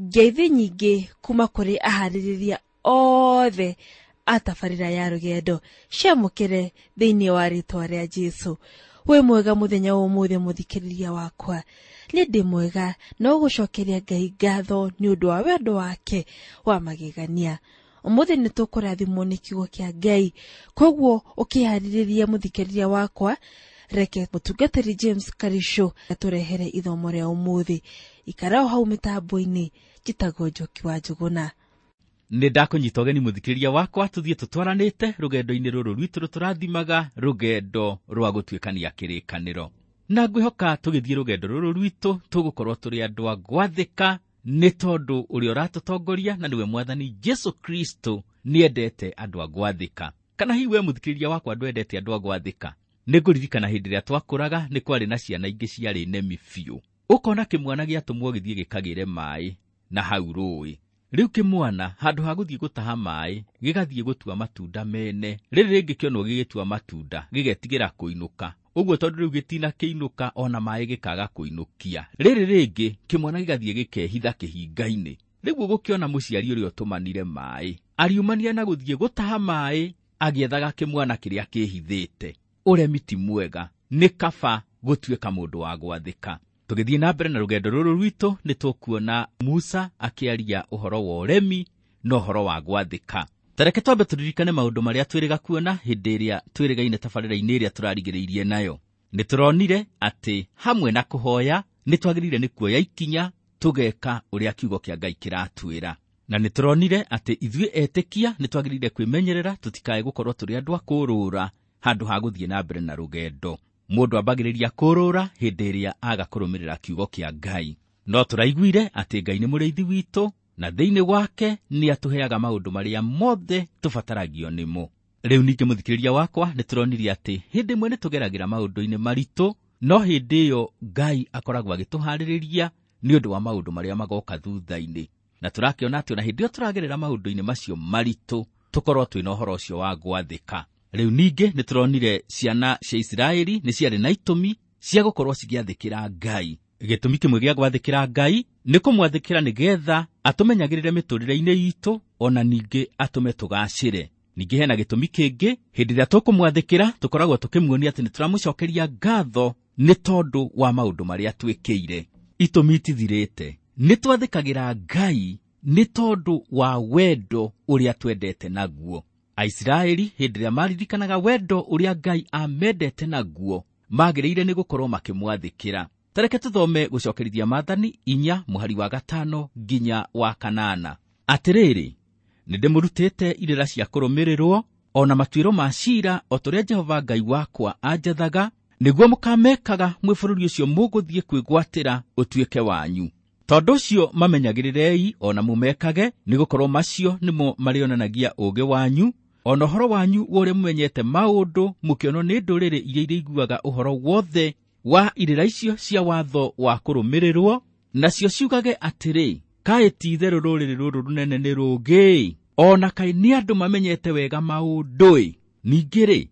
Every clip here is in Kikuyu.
Ngeithi nyingĩ kuma kũrĩ aharĩrĩria othe a tabarĩra ya rũgendo ciamũkĩre thĩinĩ wa rĩtwa rĩa Jesũ. Wĩ mwega mũthenya wa ũmũthĩ mũthikĩrĩria wakwa. Nĩ ndĩ mwega no gũcokeria Ngai ngatho nĩ ũndũ wa wendo wake wa magegania. Ũmũthĩ nĩ tũkũrathimwo nĩ kiugo kĩa Ngai, koguo ũkĩharĩrĩria mũthikĩrĩria wakwa, reke mũtungatĩri James Karisho atũrehere ithomo rĩa ũmũthĩ. Ikara o hau mĩtambo-inĩ, njĩtagwo Njoki wa Njũgũna. Nĩ ndakũnyita ũgeni mũthikĩrĩria wakwa tũthiĩ tũtwaranĩte rũgendo-inĩ rũrũ rwitũ rũtũrathimaga rũgendo rwa gũtuĩkania kĩrĩkanĩro. Na ngwĩhoka tũgĩthiĩ rũgendo rũrũ rwitũ tũgũkorwo tũrĩ andũ a gwathĩka nĩ tondũ ũrĩa ũratũtongoria na nĩwe Mwathani Jesu Kristo nĩendete andũ a gwathĩka. Kana hihi we mũthikĩrĩria wakwa ndwendete andũ a gwathĩka? Nĩ ngũririkana hĩndĩ ĩrĩa twakũraga nĩ kwarĩ na ciana ingĩ ciarĩ nemi biũ. Ũkona kĩmwana gĩatũmwo gĩthiĩ gĩkagĩre maĩ na hau rũĩ. Rĩu kĩmwana handũ ha gũthiĩ gũtaha maĩ gĩgathiĩ gũtua matunda mene. Rĩrĩ rĩngĩ kĩonwo gĩgĩtua matunda gĩgetigĩra kũinũka. Ũguo tondũ rĩu gĩtina kĩinũka ona maĩ gĩkaga kũinũkia. Rĩrĩ rĩngĩ kĩmwana gĩgathiĩ gĩkehitha kĩhinga-inĩ. Rĩu ũgũkĩona mũciari ũrĩa ũtũmanire maĩ ariumania na gũthiĩ gũtaha maĩ agĩethaga kĩmwana kĩrĩa kĩhithĩte. Ũremi ti mwega, nĩ kaba gũtuĩka mũndũ wa gwathĩka. Tũgĩthiĩ na mbere na rũgendo rũrũ rwitũ nĩ tũkuona Musa akĩaria ũhoro wa ũremi na ũhoro wa gwathĩka. Ta reke twambe tũririkane maũndũ marĩa twĩrĩga kuona hĩndĩ ĩrĩa twĩrĩgaine tabarĩra-inĩ ĩrĩa tũrarigĩrĩirie nayo. Nĩ tũronire atĩ hamwe na kũhoya nĩ twagĩrĩire nĩ kuoya ikinya tũgeka ũrĩa kiugo kĩa Ngai kĩratwĩra. Na nĩ tũronire atĩ ithuĩ etĩkia nĩ twagĩrĩire kwĩmenyerera tũtikae gũkorwo tũrĩ andũ a kũrũra handũ ha gũthiĩ na mbere na rũgendo. Mũndũ ambagĩrĩria kũrũra hĩndĩ ĩrĩa aga kũrũmĩrĩra kiugo kĩa Ngai. No tũraiguire atĩ Ngai nĩ mũrĩithi witũ na thĩinĩ wake nĩ atũheaga maũndũ marĩa mothe tũbataragio nĩmo. Rĩu ningĩ mũthikĩrĩria wakwa nĩ tũronire atĩ hĩndĩ ĩmwe nĩ tũgeragĩra maũndũ-inĩ maritũ, no hĩndĩ ĩyo Ngai akoragwo agĩtũharĩrĩria nĩ ũndũ wa maũndũ marĩa magoka thutha-inĩ. Na tũrakĩona atĩ ona hĩndĩ ĩyo tũragerera maũndũ-inĩ macio maritũ tũkorwo twĩna ũhoro ũcio wa gwathĩka. Rĩu ningĩ nĩ tũronire ciana cia Isiraeli nĩ ciarĩ na itũmi cia gũkorwo cigĩathĩkĩra Ngai. Gĩtũmi kĩmwe gĩa gwathĩkĩra Ngai nĩ kũmwathĩkĩra nĩgetha atũmenyagĩrĩre mĩtũrĩre-inĩ itũ ona ningĩ atũme tũgacĩre. Ningĩ hena gĩtũmi kĩngĩ, hĩndĩ ĩrĩa tũkũmwathĩkĩra tũkoragwo tũkĩmuonia atĩ nĩ tũramũcokeria ngatho nĩ tondũ wa maũndũ marĩa twĩkĩire. Itũmi itithirĩte. Nĩ twathĩkagĩra Ngai nĩ tondũ wa wendo ũrĩa twendete naguo. Aisiraeli hĩndĩ ĩrĩa maririkanaga wendo ũrĩa Ngai amendete naguo magĩrĩire nĩ gũkorwo makĩmwathĩkĩra. Ta reke tũthome gũcokerithia Maathani 4 mũhari wa 5 nginya wa 8. Atĩrĩrĩ, nĩ ndĩmũrutĩte irĩra cia kũrũmĩrĩrwo ona matuĩro ma ciira o ta ũrĩa Jehova Ngai wakwa anjathaga, nĩguo mũkamekaga mwĩ bũrũri ũcio mũgũthiĩ kwĩgwatĩra ũtuĩke wanyu. Tondũ ũcio mamenyagĩrĩrei ona mũmekage, nĩgũkorwo macio nĩmo marĩonanagia ũũgĩ wanyu ona ũhoro wanyu wa ũrĩa mũmenyete maũndũ mũkĩonwo nĩ ndũrĩrĩ iria irĩiguaga ũhoro wothe wa irĩra icio cia watho wa kũrũmĩrĩrwo, nacio ciugage atĩrĩ, kaĩ ti-itherũ rũrĩrĩ rũrũ rũnene nĩ rũũgĩ-ĩ, ona kaĩ nĩ andũ mamenyete wega maũndũ-ĩ. Ningĩ-rĩ,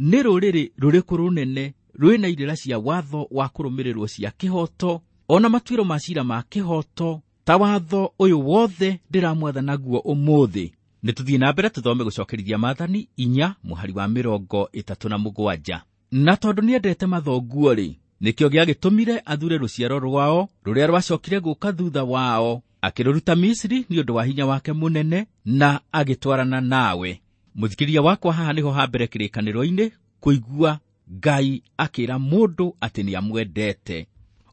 nĩ rũrĩrĩ rũrĩkũ rũnene rwĩna irĩra cia watho wa kũrũmĩrĩrwo cia kĩhooto ona matuĩro ma ciira ma kĩhooto ta watho ũyũ wothe ndĩramwatha naguo ũmũthĩ? Nĩ tũthiĩ na mbere tũthome gũcokerithia Maathani 4 mũhari wa 37. Na tondũ nĩendete mathonguo-rĩ, nĩkĩo gĩagĩtũmire athure rũciaro rwao rũrĩa rwacokire gũka thutha wao, akĩrũruta Misiri nĩ ũndũ wa hinya wake mũnene na agĩtwarana nawe. Mũthikĩrĩria wakwa, haha nĩho ha mbere kĩrĩkanĩro-inĩ kũigua Ngai akĩra mũndũ atĩ nĩamwendete.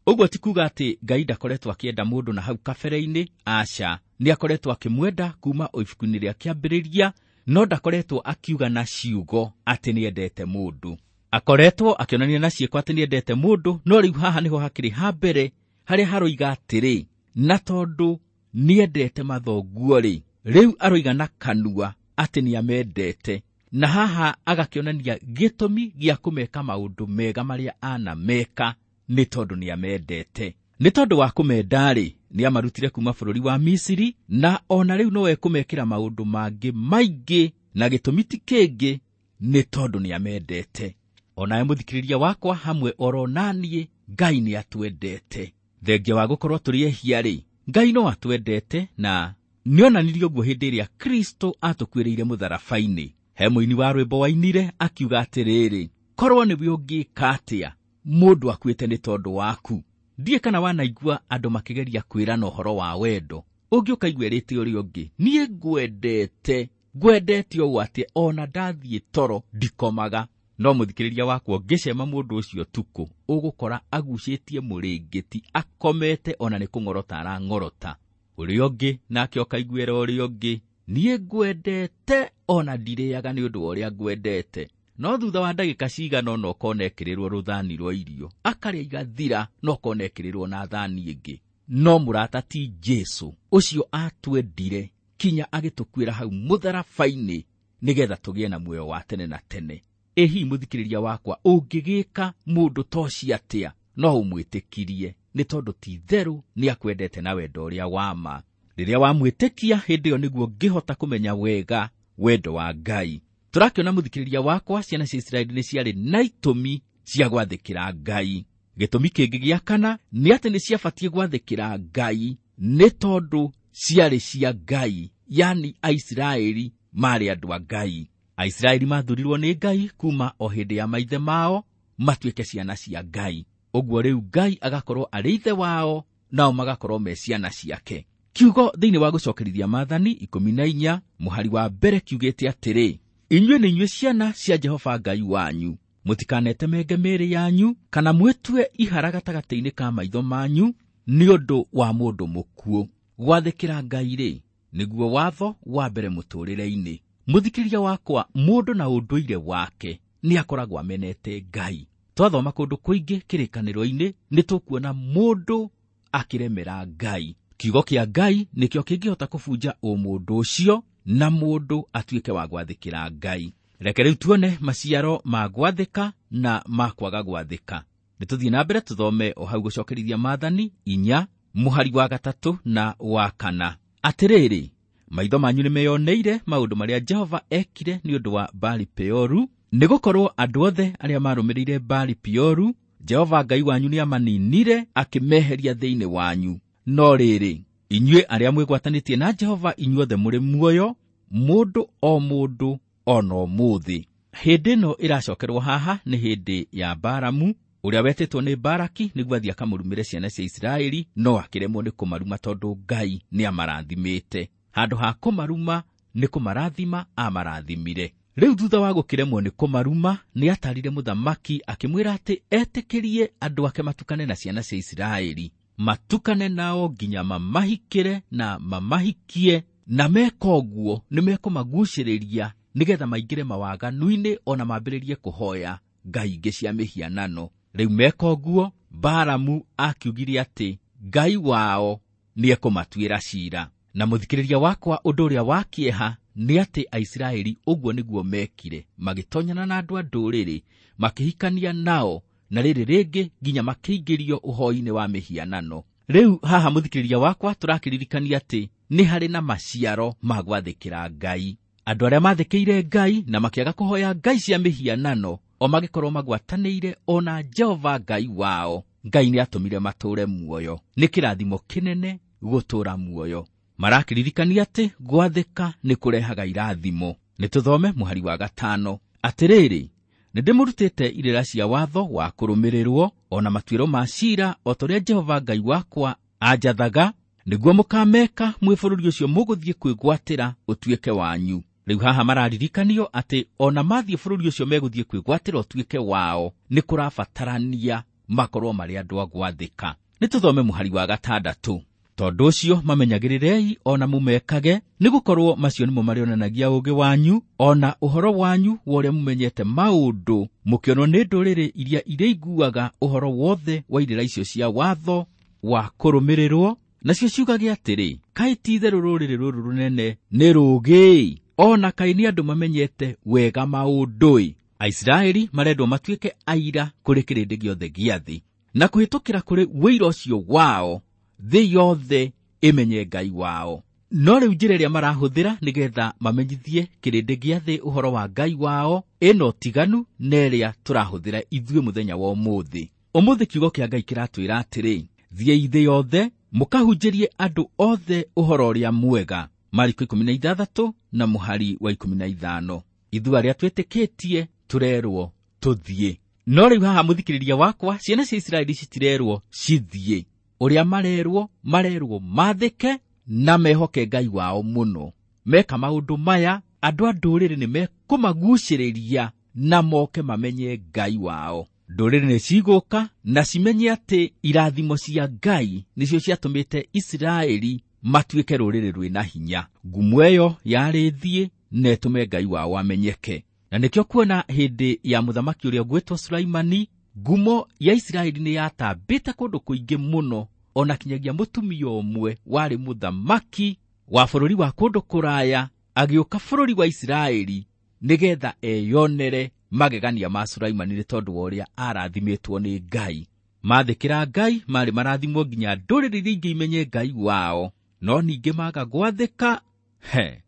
Ũguo ti kuuga atĩ Ngai ndakoretwo akĩenda mũndũ na hau kabere-inĩ, aca, nĩ akoretwo akĩmwenda kuma o ibuku-inĩ rĩa kĩambĩrĩria, no ndakoretwo akiuga na ciugo atĩ nĩendete mũndũ. Akoretwo akĩonania na ciĩko atĩ nĩendete mũndũ, no rĩu haha nĩho hakĩrĩ ha mbere harĩa haroiga atĩrĩ, na tondũ nĩendete mathonguo-rĩ, rĩu aroiga na kanua atĩ nĩamendete. Na haha agakĩonania gĩtũmi gĩa kũmeka maũndũ mega marĩa anameka nĩ tondũ nĩamendete. Nĩ tondũ wa kũmenda-rĩ, nĩamarutire kuma bũrũri wa Misiri, na ona rĩu no ekũmekĩra maũndũ mangĩ maingĩ, na gĩtũmi ti kĩngĩ nĩ tondũ nĩamendete. Onawe mũthikĩrĩria wakwa hamwe oro naniĩ, Ngai nĩatwendete. Thengia wa gũkorwo tũrĩ ehia-rĩ, Ngai no atwendete na nĩonanirie ũguo hĩndĩ ĩrĩa Kristo atũkuĩrĩire mũtharaba-inĩ. He mũini wa rwĩmbo wainire akiuga atĩrĩrĩ, korwo nĩwe ũngĩka atĩa mũndũ akuĩte nĩ tondũ waku. Ndiĩ kana wanaigua andũ makĩgeria kwĩrana ũhoro wa wendo, ũngĩ ũkaigua ĩrĩte ũrĩa ũngĩ, niĩ ngwendete, ngwendete ũũ atĩ ona ndathiĩ toro ndikomaga. No mũthikĩrĩria wakwa ũngĩcema mũndũ ũcio ũtukũ, ũgũkora agucĩtie mũrĩngĩti akomete ona nĩ kũng'orota arang'orota. Ũrĩa ũngĩ nake ũkaiguĩra ũrĩa ũngĩ, niĩ ngwendete ona ndirĩaga nĩ ũndũ wa ũrĩa ngwendete. No thutha wa ndagĩka cigana ũna ũkona ekĩrĩrwo rũthani rwa irio, akarĩa igathira, no ũkona ekĩrĩrwo na thani ĩngĩ. No mũrata ti Jesũ ũcio atwendire kinya agĩtũkuĩra hau mũtharaba-inĩ nĩgetha tũgĩe na muoyo wa tene na tene. Ĩ hihi mũthikĩrĩria wakwa, ũngĩgĩka mũndũ ta ũcio atĩa? No ũmwĩtĩkirie nĩ tondũ ti itherũ nĩ akwendete na wendo ũrĩa wa ma. Rĩrĩa wamwĩtĩkia, hĩndĩ ĩyo nĩguo ũngĩhota kũmenya wega wendo wa Ngai. Tũrakĩona mũthikĩrĩria wakwa, ciana cia Isiraeli nĩ ciarĩ na itũmi cia gwathĩkĩra Ngai. Gĩtũmi kĩngĩ gĩa kana nĩ atĩ nĩ ciabatiĩ gwathĩkĩra Ngai nĩ tondũ ciarĩ cia Ngai, yani Aisiraeli marĩ andũ a Ngai. Aisiraeli mathurirwo nĩ Ngai kuma o hĩndĩ ya maithe mao matuĩke ciana cia Ngai. Ũguo rĩu Ngai agakorwo arĩ ithe wao, nao magakorwo me ciana ciake. Kiugo thĩinĩ wa gũcokerithia maathani 14 mũhari wa mbere kiugĩte atĩrĩ, inyuĩ nĩ inyuĩ ciana cia Jehova Ngai wanyu, mũtikanetemenge mĩĩrĩ yanyu kana mwĩtue ihara gatagatĩ-inĩ ka maitho manyu nĩ ũndũ wa mũndũ mũkuũ. Gwathĩkĩra Ngai rĩ, nĩguo watho wa mbere mũtũũrĩre-inĩ. Mũthikĩrĩria wakwa, mũndũ na ũndũire wake nĩ akoragwo amenete Ngai. Twathoma kũndũ kũingĩ kĩrĩkanĩro-inĩ nĩ tũkuona mũndũ akĩremera Ngai. Kiugo kĩa Ngai nĩkĩo kĩngĩhota kũbunja ũmũndũ ũcio na mũndũ atuĩke wa gwathĩkĩra Ngai. Reke rĩu tuone maciaro ma gwathĩka na ma kwaga gwathĩka. Nĩtũthiĩ na mbere tũthome o hau gũcokerithia maathani 4 mũhari wa 3 na wa 4. Atĩrĩrĩ, maitho manyu nĩmeyoneire maũndũ marĩa Jehova ekire nĩ ũndũ wa Baali Peoru, nĩgũkorwo andũ othe arĩa marũmĩrĩire Baali Peoru, Jehova Ngai wanyu nĩamaninire akĩmeheria thĩinĩ wanyu. No rĩrĩ, inyuĩ arĩa mwĩgwatanĩtie na Jehova inyuothe mũrĩ muoyo, mũndũ o mũndũ ona ũmũthĩ. Hĩndĩ ĩno ĩracokerwo haha nĩ hĩndĩ ya Balamu ũrĩa wetĩtwo nĩ Baraki nĩguo athiĩ akamũrumĩre ciana cia Isiraeli, no akĩremwo nĩ kũmaruma tondũ Ngai nĩamarathimĩte. Handũ ha kũmaruma nĩ kũmarathima amarathimire. Rĩu thutha wa gũkĩremwo nĩ kũmaruma, nĩatarire mũthamaki akĩmwĩra atĩ etĩkĩrie andũ ake matukane na ciana cia Isiraeli, matukane nao nginya mamahikĩre na mamahikie, na meka ũguo nĩmekũmagucĩrĩria nĩgetha maingĩre mawaganu-inĩ ona mambĩrĩrie kũhoya ngai ingĩ cia mĩhianano. Rĩu meka ũguo, Balamu akiugire atĩ Ngai wao nĩekũmatuĩra ciira. Na mũthikĩrĩria wakwa, ũndũ ũrĩa wa kĩeha nĩ atĩ Aisiraeli ũguo nĩguo mekire, magĩtonyana na andũ a ndũrĩrĩ, makĩhikania nao, na rĩrĩ rĩngĩ nginya makĩingĩrio ũhoi-inĩ wa mĩhianano. Rĩu haha mũthikĩrĩria wakwa, tũrakĩririkania atĩ nĩ harĩ na maciaro ma gwathĩkĩra Ngai. Andũ arĩa mathĩkĩire Ngai na makĩaga kũhoya ngai cia mĩhianano, o magĩkorwo magwatanĩire ona Jehova Ngai wao, Ngai nĩatũmire matũũre muoyo. Nĩ kĩrathimo kĩnene gũtũũra muoyo. Marakĩririkania atĩ gwathĩka nĩ kũrehaga irathimo. Nĩtũthome mũhari wa 5. Atĩrĩrĩ, nĩndĩmũrutĩte irĩra cia watho wa kũrũmĩrĩrwo ona matuĩro ma ciira o ta ũrĩa Jehova Ngai wakwa anjathaga, nĩguo mũkameka mwĩ bũrũri ũcio mũgũthiĩ kwĩgwatĩra ũtuĩke wanyu. Rĩu haha mararirikanio atĩ ona mathiĩ bũrũri ũcio megũthiĩ kwĩgwatĩra ũtuĩke wao, nĩ kũrabatarania makorwo marĩ andũ a gwathĩka. Nĩtũthome mũhari wa 6. Tondũ ũcio mamenyagĩrĩrei ona mũmekage, nĩgũkorwo macio nĩmo marĩonanagia ũũgĩ wanyu ona ũhoro wanyu wa ũrĩa mũmenyete maũndũ, mũkĩonwo nĩ ndũrĩrĩ iria irĩiguaga ũhoro wothe wa irĩra icio cia watho wa kũrũmĩrĩrwo, nacio ciugage atĩrĩ, kaĩ ti itherũ rũrĩrĩ rũrũ rũnene nĩ rũũgĩ-ĩ, ona kaĩ nĩ andũ mamenyete wega maũndũ-ĩ. Aisiraeli marendwo matuĩke aira kũrĩ kĩrĩndĩ gĩothe gĩa thĩ, na kũhĩtũkĩra kũrĩ wũira ũcio wao thĩ yothe ĩmenye Ngai wao. No rĩu njĩra ĩrĩa marahũthĩra nĩgetha mamenyithie kĩrĩndĩ gĩa thĩ ũhoro wa Ngai wao ĩna ũtiganu na ĩrĩa tũrahũthĩra ithuĩ mũthenya wa ũmũthĩ. Ũmũthĩ kiugo kĩa Ngai kĩratwĩra atĩrĩ, thiĩi thĩ yothe Mũkahunjĩrie andũ othe ũhoro ũrĩa mwega. Mariko 16 na mũhari wa 15. Ithuĩ arĩa twĩtĩkĩtie tũrerwo tũthiĩ. No rĩu haha mũthikĩrĩria wakwa, ciana cia Isiraeli citirerwo cithiĩ. Ũrĩa marerwo mathĩke na mehoke Ngai wao mũno. Meka maũndũ maya, andũ a ndũrĩrĩ nĩ mekũmagucĩrĩria na moke mamenye Ngai wao. Ndũrĩrĩ nĩ cigũka na cimenye atĩ irathimo cia Ngai nĩcio ciatũmĩte Isiraeli matuĩke rũrĩrĩ rwĩna hinya. Ngumo ĩyo yarĩ thiĩ na ĩtũme Ngai wao amenyeke. Na nĩkĩo kuona hĩndĩ ya mũthamaki ũrĩa ũgwĩtwo Sulaimani, ngumo ya Isiraeli nĩ yatambĩte kũndũ kũingĩ mũno, ona kinyagia mũtumia ũmwe warĩ mũthamaki wa bũrũri wa kũndũ kũraya agĩũka bũrũri wa Isiraeli nĩgetha eyonere magegania ma Sulaimani nĩ tondũ wa ũrĩa arathimĩtwo nĩ Ngai. Mathĩkĩra Ngai marĩ marathimwo nginya ndũrĩrĩ iria ingĩ imenye Ngai wao, no ningĩ maga gwathĩka, he,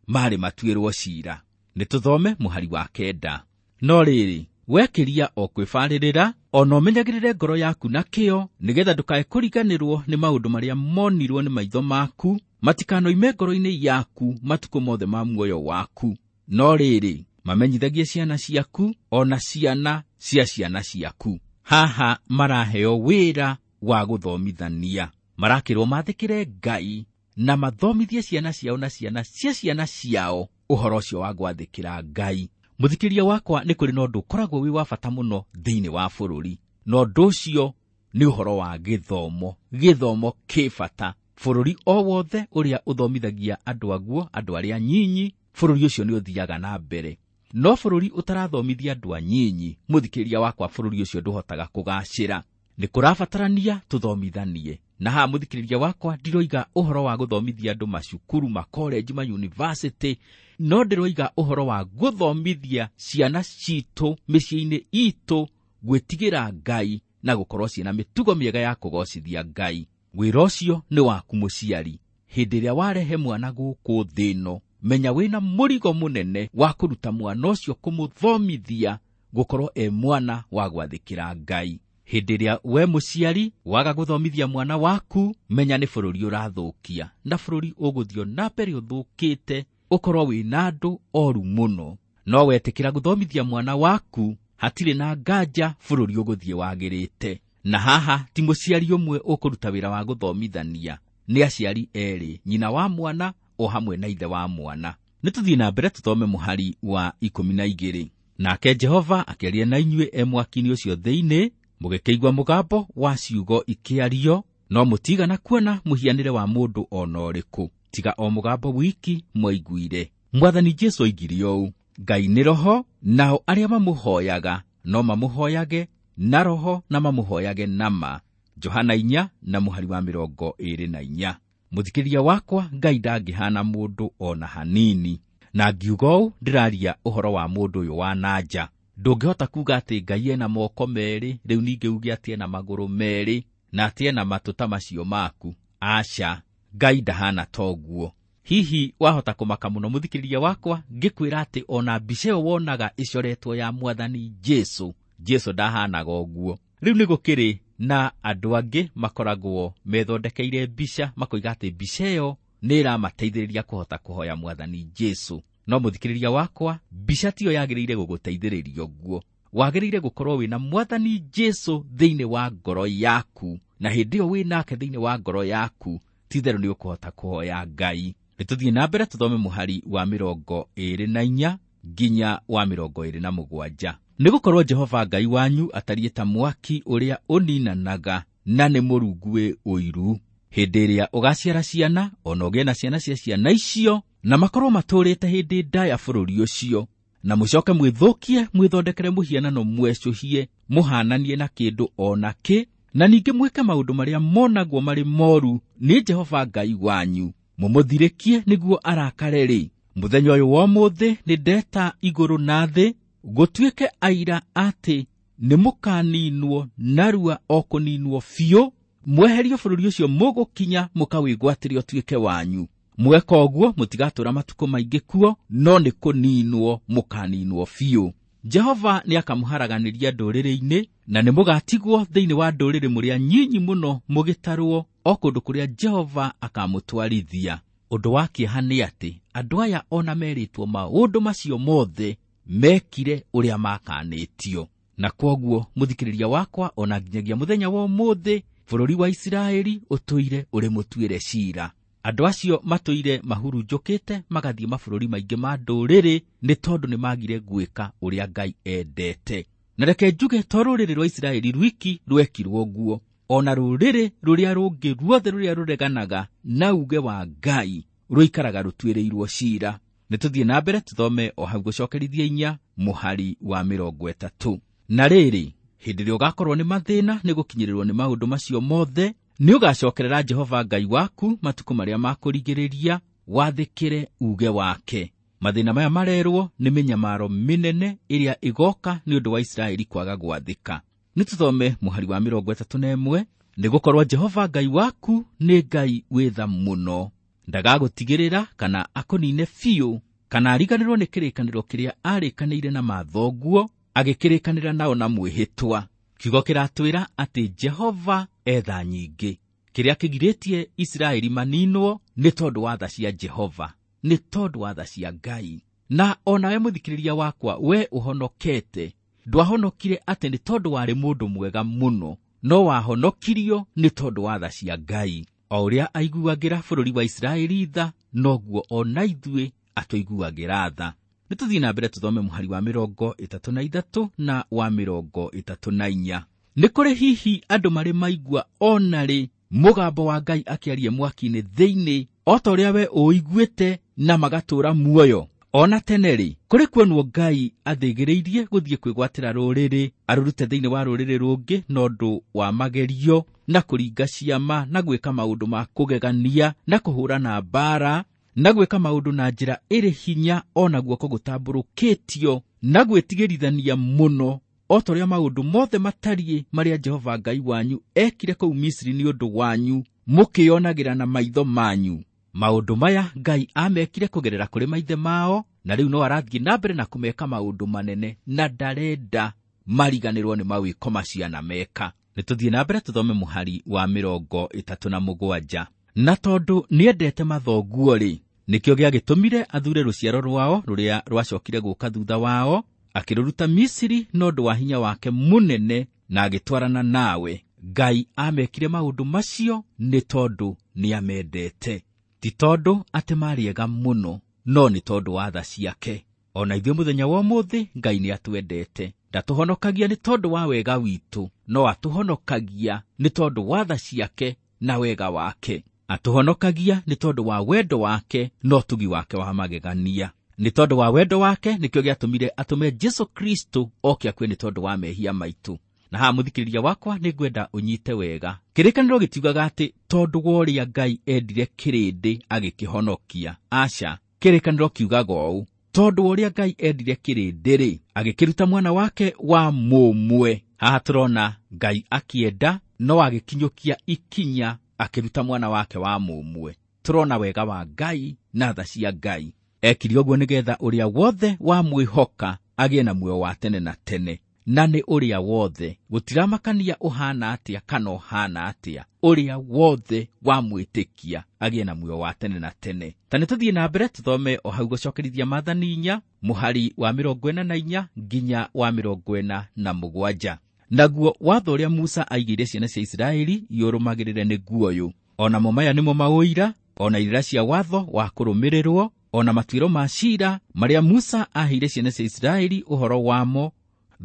marĩ matuĩrwo cira. Nĩ tũthome mũhari wa 9. No rĩrĩ, wekĩria o kwĩbarĩrĩra, ona ũmenyagĩrĩre ngoro yaku na kĩyo, nĩgetha ndũkae kũriganĩrwo nĩ maũndũ marĩa monirwo nĩ maitho maku, matikanoime ngoro-inĩ yaku matukũ mothe ma muoyo waku. No rĩrĩ, mamenyithagie ciana ciaku, ona ciana cia ciana ciaku. Haha maraheo wĩra wa gũthomithania. Marakĩrwo mathĩkĩre Ngai na mathomithie ciana ciao na ciana cia ciana ciao ũhoro ũcio wa gwathĩkĩra Ngai. Mũthikĩria wakwa, nĩ kũrĩ na ũndũ ũkoragwo wĩ wa bata mũno thĩinĩ wa bũrũri, na ũndũ ũcio nĩ ũhoro wa gĩthomo. Gĩthomo kĩ bata. Bũrũri o wothe ũrĩa ũthomithagia andũ aguo, andũ arĩa anyinyi, bũrũri ũcio nĩ ũthiaga na mbere. No bũrũri ũtarathomithia andũ anyinyi, mũthikĩria wakwa, bũrũri ũcio ndũhotaga kũgacĩra. Nĩ kũrabatarania tũthomithanie. Na haha mũthikĩrĩria wakwa, ndiroiga ũhoro wa gũthomithia andũ macukuru, makolenji, ma university, no ndĩroiga ũhoro wa gũthomithia ciana citũ mĩciĩ-inĩ itũ gwĩtigĩra Ngai na gũkorwo ciĩna mĩtugo mĩega ya kũgocithia Ngai. Wĩra ũcio nĩ waku mũciari. Hĩndĩ ĩrĩa warehe mwana gũkũ thĩ ĩno, menya wĩna mũrigo mũnene wa kũruta mwana ũcio, kũmũthomithia gũkorwo e mwana wa gwathĩkĩra Ngai. Hĩndĩ ĩrĩa we mũciari waga gũthomithia mwana waku, menya nĩ bũrũri ũrathũkia, na bũrũri ũgũthiĩ na mbere ũthũkĩte, ũkorwo wĩna andũ oru mũno. No wetĩkĩra gũthomithia mwana waku, hatirĩ na nganja bũrũri ũgũthiĩ wagĩrĩte. Na haha ti mũciari ũmwe ũkũruta wĩra wa gũthomithania, nĩ aciari erĩ, nyina wa mwana o hamwe na ithe wa mwana. Nĩ tũthiĩ na mbere tũthome mũhari wa 12. Nake Jehova akĩaria na inyuĩ e mwaki-inĩ ũcio thĩinĩ, mũgĩkĩigua mũgambo wa ciugo ikĩario, no mũtigana kuona mũhianĩre wa mũndũ o na ũrĩkũ, tiga o mũgambo wiki mwaiguire. Mwathani Jesũ oigire ũũ, Ngai nĩ roho, nao arĩa mamũhoyaga no mamũhoyage na roho na mamũhoyage na ma. Johana 4 na mũhari wa 24. Mũthikĩria wakwa, Ngai ndangĩhana mũndũ o na hanini. Na ngiuga ũũ, ndĩraria ũhoro wa mũndũ ũyũ wa na nja. Ndũngĩhota kuga atĩ Ngai ena moko merĩ, rĩu ningĩ uge atĩ ena magũrũ merĩ, na atĩ ena matũ ta macio maku. Aca, Ngai ndahana toguo. Hihi wahota kũmaka mũno mũthikĩrĩria wakwa, ngĩkwĩra atĩ ona mbica ĩyo wonaga ĩcoretwo ya Mwathani Jesũ, Jesũ ndahanaga ũguo. Rĩu nĩ gũkĩrĩ na andũ angĩ makoragwo methondekeire mbica, makoiga atĩ mbica ĩyo nĩ ĩramateithĩrĩria kũhota kũhoya Mwathani Jesũ. No mũthikĩrĩria wakwa, mbica tiyo yagĩrĩire gũgũteithĩrĩria ũguo. Wagĩrĩire gũkorwo wĩna Mwathani Jesũ thĩinĩ wa ngoro yaku, na hĩndĩ ĩyo wĩnake thĩinĩ wa ngoro yaku, ti-itherũ nĩ ũkũhota kũhoya Ngai. Nĩ tũthiĩ na mbere tũthome mũhari wa 24 nginya wa 27. Nĩgũkorwo Jehova Ngai wanyu atariĩ ta mwaki ũrĩa ũninanaga, na nĩ mũrungu wĩ ũiru. Hĩndĩ ĩrĩa ũgaciara ciana, ona ũgĩe na ciana cia ciana icio, na makorwo matũũrĩte hĩndĩ ndaya bũrũri ũcio, na mũcoke mwĩthũkie, mwĩthondekere mũhianano mwecũhie, mũhananie na kĩndũ o na kĩ, na ningĩ mwĩke maũndũ marĩa monagwo marĩ moru nĩ Jehova Ngai wanyu, mũmũthirĩkie nĩguo arakare-rĩ. Mũthenya ũyũ wa ũmũthĩ nĩ ndeta igũrũ na thĩ, gũtuĩke aira atĩ nĩ mũkaninwo narua o kũninwo biũ, mweherio bũrũri ũcio mũgũkinya mũkawĩgwatĩre ũtuĩke wanyu. Mweka ũguo mũtigatũũra matukũ maingĩ kuo, no nĩ kũninwo mũkaninwo biũ. Jehova nĩ akamũharaganĩria ndũrĩrĩ-inĩ, na nĩ mũgatigwo thĩinĩ wa ndũrĩrĩ mũrĩ anyinyi mũno mũgĩtarwo, o kũndũ kũrĩa Jehova akamũtwarithia. Ũndũ wa kĩeha nĩ atĩ andũ aya ona merĩtwo maũndũ macio mothe mekire ũrĩa makanĩtio. Na kwoguo mũthikĩrĩria wakwa, ona nginyagia mũthenya wa ũmũthĩ bũrũri wa Isiraeli ũtũire ũrĩ mũtuĩre ciira. Andũ acio matũire mahurunjũkĩte magathiĩ mabũrũri maingĩ ma ndũrĩrĩ nĩ tondũ nĩ magire gwĩka ũrĩa Ngai endete. Na reke njuge to rũrĩrĩ rwa Isiraeli rwiki rwekirwo ũguo, ona rũrĩrĩ rũrĩa rũngĩ ruothe rũrĩa rũreganaga na uge wa Ngai rũikaraga rũtuĩrĩirwo ciira. Nĩ tũthiĩ na mbere tũthome o hau gũcokerithia 4 mũhari wa 30. Na rĩrĩ, hĩndĩ ĩrĩa ũgakorwo nĩ mathĩna nĩ gũkinyĩrĩrwo nĩ maũndũ macio mothe, nĩ ũgacokerera Jehova Ngai waku matukũ marĩa makũrigĩrĩria, wathĩkĩre uge wake. Mathĩna maya marerwo nĩ mĩnyamaro mĩnene ĩrĩa ĩgoka nĩ ũndũ wa Isiraeli kwaga gwathĩka. Nĩ tũthome mũhari wa 31, nĩ gũkorwo Jehova Ngai waku nĩ Ngai wĩ tha mũno, ndagagũtigĩrĩra kana akũnine biũ, kana ariganĩrwo nĩ kĩrĩkanĩro kĩrĩa arĩkanĩire na mathoguo, agĩkĩrĩkanĩra nao na mwĩhĩtwa. Kiugo kĩratwĩra atĩ Jehova etha nyingĩ. Kĩrĩa kĩgirĩtie Isiraeli maninwo nĩ tondũ wa tha cia Jehova, nĩ tondũ wa tha cia Ngai. Na onawe mũthikĩrĩria wakwa, we ũhonokete, ndwahonokire atĩ nĩ tondũ warĩ mũndũ mwega mũno, no wahonokirio nĩ tondũ wa tha cia Ngai. O ũrĩa aiguagĩra bũrũri wa Isiraeli tha, noguo ona ithuĩ atũiguagĩra tha. Nĩ tũthiĩ na mbere tũthome mũhari wa 33 na wa 34. Nĩ kũrĩ hihi andũ marĩ maigua ona rĩ mũgambo wa Ngai akĩaria mwaki-inĩ thĩinĩ, o ta ũrĩa we ũiguĩte, na magatũũra muoyo? Ona tene rĩ, kũrĩ kuonwo Ngai athĩgĩrĩirie gũthiĩ kwĩgwatĩra rũrĩrĩ, arũrute thĩinĩ wa rũrĩrĩ rũngĩ na ũndũ wa magerio, na kũringa ciama, na gwĩka maũndũ ma kũgegania, na kũhũrana mbaara, na gwĩka maũndũ na njĩra ĩrĩ hinya, ona guoko gũtambũrũkĩtio, na gwĩtigĩrithania mũno, o ta ũrĩa maũndũ mothe matariĩ marĩa Jehova Ngai wanyu ekire kũu Misiri nĩ ũndũ wanyu, mũkĩonagĩra na maitho manyu. Maũndũ maya Ngai amekire kũgerera kũrĩ maithe mao, na rĩu no arathiĩ na mbere na kũmeka maũndũ manene, na ndarenda mariganĩrwo nĩ mawĩko macio anameka. Nĩ tũthiĩ na mbere tũthome mũhari wa 37. Na tondũ nĩendete mathoguo rĩ, nĩkĩo gĩagĩtũmire athure rũciaro rwao rũrĩa rwacokire gũka thutha wao, akĩrũruta Misiri na ũndũ wa hinya wake mũnene, na agĩtwarana nawe. Ngai amekire maũndũ macio nĩ tondũ nĩamendete, ti tondũ atĩ marĩ ega mũno, no nĩ tondũ wa tha ciake. Ona ithuĩ mũthenya wa ũmũthĩ Ngai nĩatwendete. Ndatũhonokagia nĩ tondũ wa wega witũ, no atũhonokagia nĩ tondũ wa tha ciake na wega wake. Atũhonokagia nĩ tondũ wa wendo wake na ũtugi wake wa magegania. Nĩ tondũ wa wendo wake nĩkĩo gĩatũmire atũme Jesũ Kristo oke akue nĩ tondũ wa mehia maitũ. Na haha mũthikĩrĩria wakwa nĩ ngwenda ũnyite wega. Kĩrĩkanĩro gĩtiugaga atĩ tondũ wa ũrĩa Ngai endire kĩrĩndĩ agĩkĩhonokia. Aca, kĩrĩkanĩro kiugaga ũũ, tondũ wa ũrĩa Ngai endire kĩrĩndĩ rĩ, agĩkĩruta mwana wake wa mũmwe. Haha tũrona Ngai akĩenda no agĩkinyũkia ikinya akĩruta mwana wake wa mũmwe. Tũrona wega wa Ngai na tha cia Ngai. Ekire ũguo nĩgetha ũrĩa wothe wamwĩhoka agĩe na muoyo wa tene na tene. Na nĩ ũrĩa wothe, gũtiramakania ũhana atĩa kana ũhana atĩa, ũrĩa wothe wamwĩtĩkia agĩe na muoyo wa tene na tene. Ta nĩ tũthiĩ na mbere tũthome o hau gũcokerithia maathani 4 mũhari wa 44 nginya wa 47. Naguo watho ũrĩa Musa aigĩire ciana cia Isiraeli iũrũmagĩrĩre nĩguo ũyũ. Onamo maya nĩmo maũira, ona irĩra cia watho wa kũrũmĩrĩrwo, ona matuĩro ma ciira marĩa Musa aheire ciana cia Isiraeli ũhoro wamo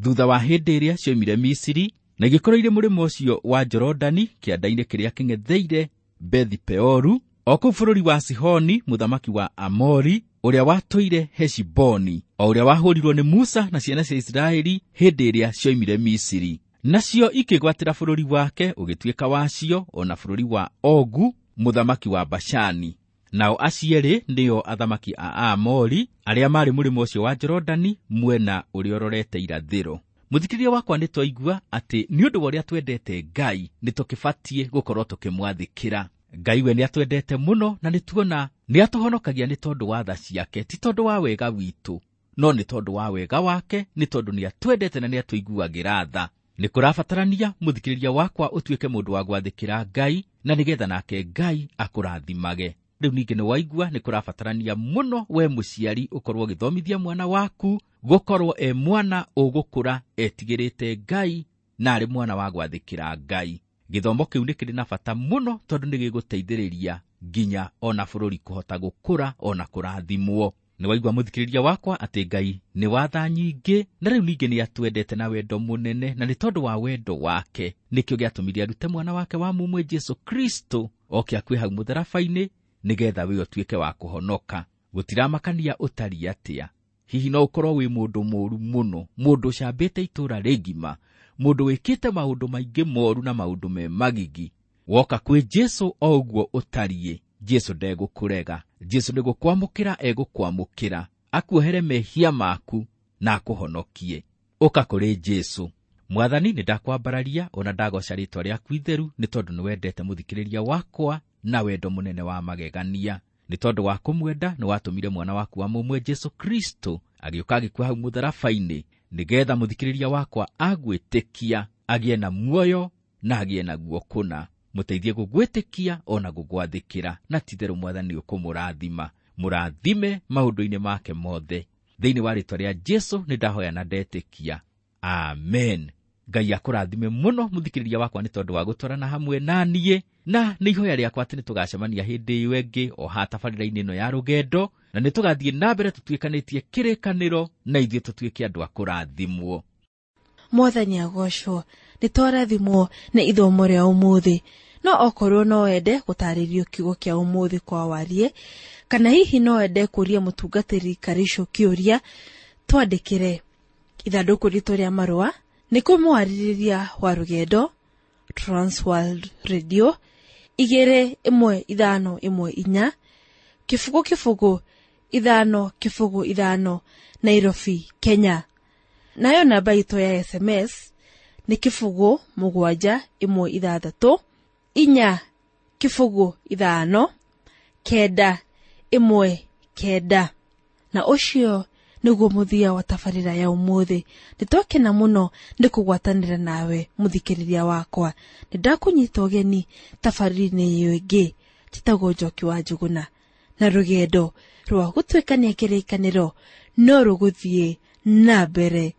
thutha wa hĩndĩ ĩrĩa cioimire Misiri, na igĩkorwo irĩ mũrĩmo ũcio wa Jorodani kĩanda-inĩ kĩrĩa kĩng'etheire Bethi-Peoru, o kũu bũrũri wa Sihoni mũthamaki wa Amori, ũrĩa watũire Heshiboni, o ũrĩa wahũrirwo nĩ Musa na ciana cia Isiraeli hĩndĩ ĩrĩa cioimire Misiri. Nacio ikĩgwatĩra bũrũri wake ũgĩtuĩka wacio, ona bũrũri wa Ogu mũthamaki wa Bashani. Nao acierĩ nĩo athamaki a Aamori arĩa marĩ mũrĩmo ũcio wa Jorodani mwena ũrĩa ũrorete irathĩro. Mũthikĩrĩria wakwa, nĩ twaigua atĩ nĩ ũndũ wa ũrĩa twendete Ngai nĩ tũkĩbatiĩ gũkorwo tũkĩmwathĩkĩra. Ngai we nĩatwendete mũno, na nĩtuona nĩatũhonokagia nĩ tondũ wa tha ciake, ti tondũ wa wega witũ, no nĩ tondũ wa wega wake, nĩ tondũ nĩatwendete na nĩatũiguagĩra tha. Nĩ kũrabatarania mũthikĩrĩria wakwa ũtuĩke mũndũ wa gwathĩkĩra Ngai, na nĩgetha nake Ngai akũrathimage. Rĩu ningĩ nĩ waigua nĩ kũrabatarania mũno we mũciari ũkorwo ũgĩthomithia mwana waku gũkorwo e mwana ũgũkũra etigĩrĩte Ngai na arĩ mwana wa gwathĩkĩra Ngai. Gĩthomo kĩu nĩ kĩrĩ na bata mũno tondũ nĩ gĩgũteithĩrĩria nginya ona bũrũri kũhota gũkũra ona kũrathimwo. Nĩ waigua mũthikĩrĩria wakwa atĩ Ngai nĩ watha nyingĩ, na rĩu ningĩ nĩ atwendete na wendo mũnene, na nĩ tondũ wa wendo wake nĩkĩo gĩatũmire arute mwana wake wa mũmwe Jesu Kristo oke akue hau mũtharaba-inĩ nĩgetha we ũtuĩke wa kũhonoka. Gũtiramakania ũtariĩ atĩa. Hihi no ũkorwo wĩ mũndũ mũũru mũno, mũndũ ũcambĩte itũũra rĩgima, mũndũ wĩkĩte maũndũ maingĩ moru na maũndũ me magigi. Woka kwĩ Jesu o ũguo ũtariĩ, Jesu ndegũkũrega. Jesu nĩ gũkwamũkĩra egũkwamũkĩra, akuohere mehia maku na akũhonokie. Ũka kũrĩ Jesu. Mwathani, nĩ ndakwambararia ona ndagoca rĩtwa rĩaku itheru, nĩ tondũ nĩ wendete mũthikĩrĩria wakwa na wendo mũnene wa magegania. Nĩ tondũ wa kũmwenda nĩ watũmire mwana waku wa mũmwe Jesu Kristo agĩũka agĩkua hau mũtharaba-inĩ, nĩgetha mũthikĩrĩria wakwa agwĩtĩkia agĩe na muoyo na agĩe naguo kũna. Mũteithie gũgwĩtĩkia ona gũgwathĩkĩra, na ti-itherũ Mwathani ũkũmũrathima. Mũrathime maũndũ-inĩ make mothe. Thĩinĩ wa rĩtwa rĩa Jesu nĩ ndahoya na ndetĩkia. Amen. Ngai akũrathime mũno mũthikĩrĩria wakwa nĩ tondũ wa gũtwarana hamwe na niĩ, na nĩ ihoya rĩakwa atĩ nĩ tũgacemania hĩndĩ ĩyo ĩngĩ o haha tabarĩra-inĩ ĩno ya rũgendo, na nĩ tũgathiĩ na mbere tũtuĩkanĩtie kĩrĩkanĩro na ithuĩ tũtuĩke andũ a kũrathimwo. Mwathani agocwo, nĩ twarathimwo nĩ ithomo rĩa ũmũthĩ. No okorwo no wende gũtarĩrio kiugo kĩa ũmũthĩ kwa warie, kana hihi no wende kũria mũtungatĩri Karicũ kĩũria, twandĩkĩre ithandũkũ ritũ rĩa marũa nĩ kũmwarĩrĩria wa rũgendo Transworld Radio 21514 0 0 5 0 5 Nairobi, Kenya. Nayo namba itũ ya SMS nĩ 0 7 1 6 4 0 5 9 1 9. Na ũcio nĩguo mũthia wa tabarĩra ya ũmũthĩ. Nĩtwakena mũno nĩ kũgwatanĩra nawe mũthikĩrĩria wakwa. Nĩndakũnyita ũgeni tabarĩra-inĩ ĩyo ĩngĩ. Njĩtagwo Njoki wa Njũgũna, na rũgendo rwa gũtuĩkania kĩrĩkanĩro no rũgũthiĩ na mbere.